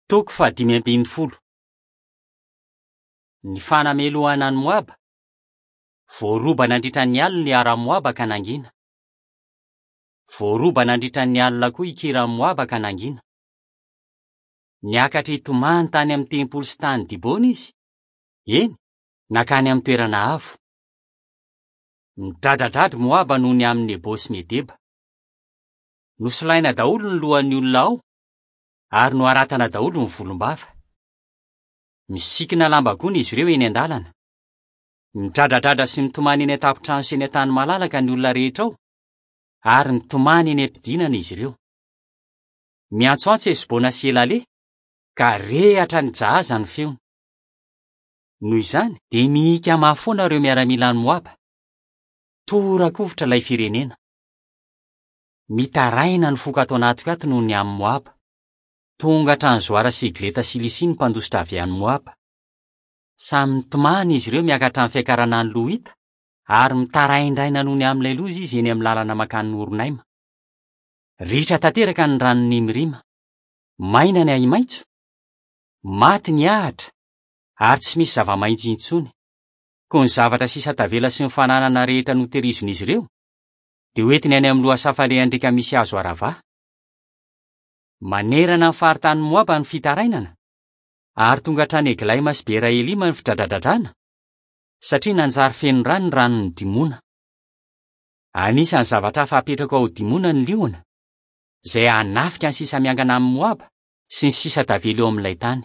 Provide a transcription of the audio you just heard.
Toko fahadimy ambin'ny folo. Ny fanamelohana an'i Moaba. Voaroba nandritra ny alina i Ara-Moaba ka nangina. Voaroba nandritra ny alina koa i Kira-Moaba ka nangina. Niakatra hitomany tany amin'ny tempoly sy tany Dibona izy, eny, nankany amin'ny toerana avo. Midradradradra Moaba noho ny amin'i Nebo sy Medeba. Nosolaina daholo ny lohan'ny olona ao ary noharatana daholo ny volombava. Misikina lamba gony izy ireo eny an-dalana. Midradradradra sy mitomany eny an-tampon-trano sy eny an-tany malalaka ny olona rehetra ao, ary mitomany eny am-pidinana izy ireo. Miantsoantso Hesbona sy Elale, ka re hatrany Jahaza ny feony. Noho izany, dia mihika mafy foana ireo miaramilan'i Moaba. Tora-kovitra ilay firenena. Mitaraina ny foko ato anatiko ato noho ny amin'i Moaba. Tonga hatrany Zoara sy Egleta Silisia ny mpandositra avy any Moaba. Samy mitomany izy ireo miakatra amin'ny fiakarana any Lohita, ary mitaraindraina noho ny amin'ilay loza izy eny amin'ny lalana mankany Horonaima. Ritra tanteraka ny ranon'i Nimrima. Maina ny ahi-maitso. Maty ny ahitra, ary tsy misy zava-maitso intsony. Koa ny zavatra sisa tavela sy ny fananana rehetra notehirizin'izy ireo dia hoentiny any amin'ny lohasaha falehan-driaka misy hazo aravaha. Manerana ny faritanin'i Moaba ny fitarainana, ary tonga hatrany Eglaima sy Bera-Elima ny fidradradradrana, satria nanjary feno ra ny ranon'i Dimona. Anisan'ny zavatra hafa hapetrako ao Dimona ny liona, izay hanafika ny sisa miangana amin'i Moaba sy ny sisa tavela eo amin'ilay tany.